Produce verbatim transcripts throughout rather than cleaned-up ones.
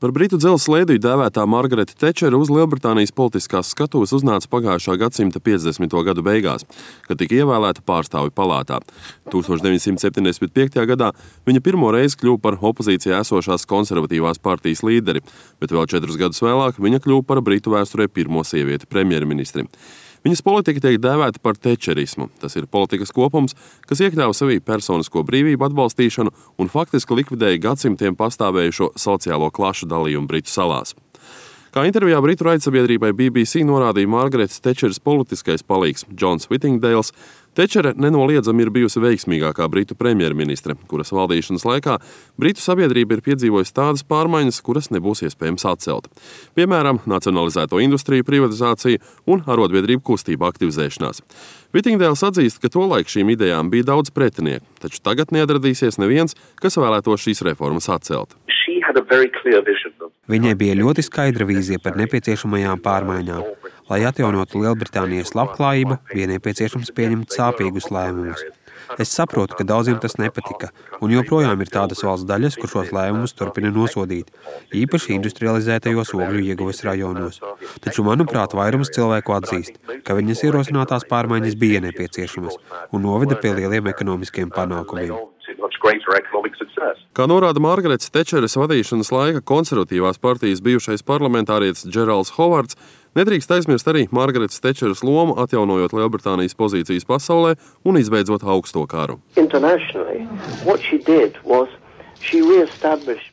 Par britu dzelzs lēdiju dēvētā Margareta Tečera uz Lielbritānijas politiskās skatuves uznāca pagājušā gadsimta piecdesmito gadu beigās, kad tika ievēlēta pārstāvju palātā. tūkstoš deviņsimt septiņdesmit piektajā gadā viņa pirmo reizi kļuva par opozīcijā esošās konservatīvās partijas līderi, bet vēl četrus gadus vēlāk viņa kļuva par britu vēsturē pirmo sievieti premjerministri. Viņas politika tiek dēvēta par tečerismu. Tas ir politikas kopums, kas iekļāva sevī personisko brīvību atbalstīšanu un faktiski likvidēja gadsimtiem pastāvējušo sociālo klašu dalījumu Britu salās. Kā intervijā Britu raidsabiedrībai B B C norādīja Margaretas Tečeras politiskais palīgs Džons Whittingdales, Tečere nenoliedzami ir bijusi veiksmīgākā britu premjerministre, kuras valdīšanas laikā britu sabiedrība ir piedzīvojusi tādas pārmaiņas, kuras nebūs iespējams atcelt. Piemēram, nacionalizēto industriju privatizāciju un arotbiedrību kustību aktivizēšanās. Whittingdales atzīst, ka tolaik šīm idejām bija daudz pretinieku, taču tagad neatradīsies neviens, kas vēlētos šīs reformas atcelt. Viņai bija ļoti skaidra vīzija par nepieciešamajām pārmaiņām. Lai atjaunotu Lielbritānijas labklājību, bija nepieciešams pieņemt sāpīgus lēmumus. Es saprotu, ka daudziem tas nepatika, un joprojām ir tādas valsts daļas, kur šos lēmumus turpina nosodīt, īpaši industrializētajos ogļu ieguves rajonos. Taču, manuprāt, vairums cilvēku atzīst, ka viņas ierosinātās pārmaiņas bija nepieciešamas un noveda pie lieliem ekonomiskiem panākumiem. Kā norāda Margaretas Tečeras vadīšanas laika konservatīvās partijas bijušais parlamentārietis Džeralds Hovards, nedrīkst aizmirst arī Margaretas Tečeras lomu atjaunojot Lielbritānijas pozīcijas pasaulē un izbeidzot augsto karu.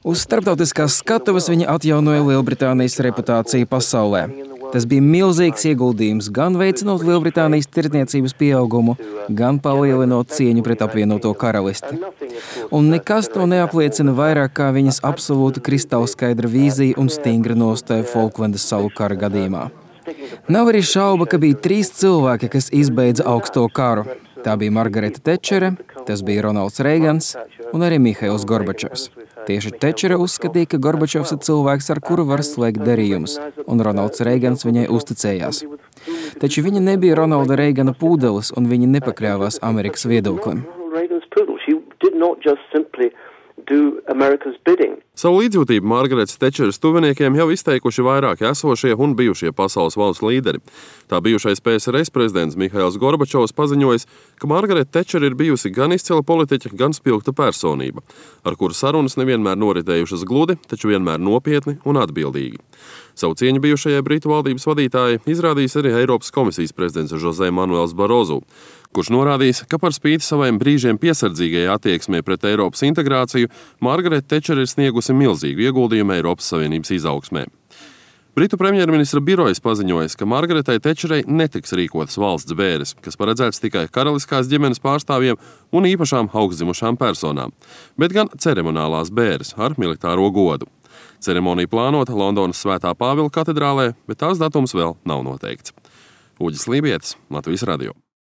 Uz starptautiskās skatuves viņa atjaunoja Lielbritānijas reputāciju pasaulē. Tas bija milzīgs ieguldījums gan veicinot Lielbritānijas tirdzniecības pieaugumu, gan palielinot cieņu pret apvienoto karalisti. Un nekas to neapliecina vairāk kā viņas absolūta kristālskaidra vīzija un stingra nostāja Folklendas salu kara gadījumā. Nav arī šauba, ka bija trīs cilvēki, kas izbeidza augsto karu. Tā bija Margareta Tečere, tas bija Ronalds Reigans un arī Mihails Gorbačovs. Tieši Tečere uzskatīja, ka Gorbačovs ir cilvēks, ar kuru var slēgt darījumus, un Ronalds Reigans viņai uzticējās. Taču viņa nebija Ronalda Reigana pūdelis, un viņa nepakļāvās Amerikas viedoklim. Savu līdzjūtību Margaretas Tečeras tuviniekiem jau izteikuši vairāki esošie un bijušie pasaules valstu līderi. Tā bijušais P S R S prezidents Mihails Gorbačovs paziņojis, ka Margareta Tečera ir bijusi gan izcila politiķa, gan spilgta personība, ar kuru sarunas nevienmēr noritējušas gludi, taču vienmēr nopietni un atbildīgi. Savu cieņu bijušajai Britu valdības vadītājai izrādījis arī Eiropas komisijas prezidents José Manuels Barozu, kurš norādījis, ka par spīti saviem brīžiem piesardzīgajai attieksmei pret Eiropas integrāciju, Margareta Tečera ir sniegusi milzīgu ieguldījumu Eiropas Savienības izaugsmē. Britu premjerministra birojas paziņojas, ka Margaretai Tečerai netiks rīkotas valsts bēres, kas paredzēts tikai karaliskās ģimenes pārstāvjiem un īpašām augstzimušām personām, bet gan ceremonālās bēres ar militāro godu. Ceremonija plānota Londonas Svētā Pāvila katedrālē, bet tās datums vēl nav noteikts. Uģis Lībietis, Latvijas radio.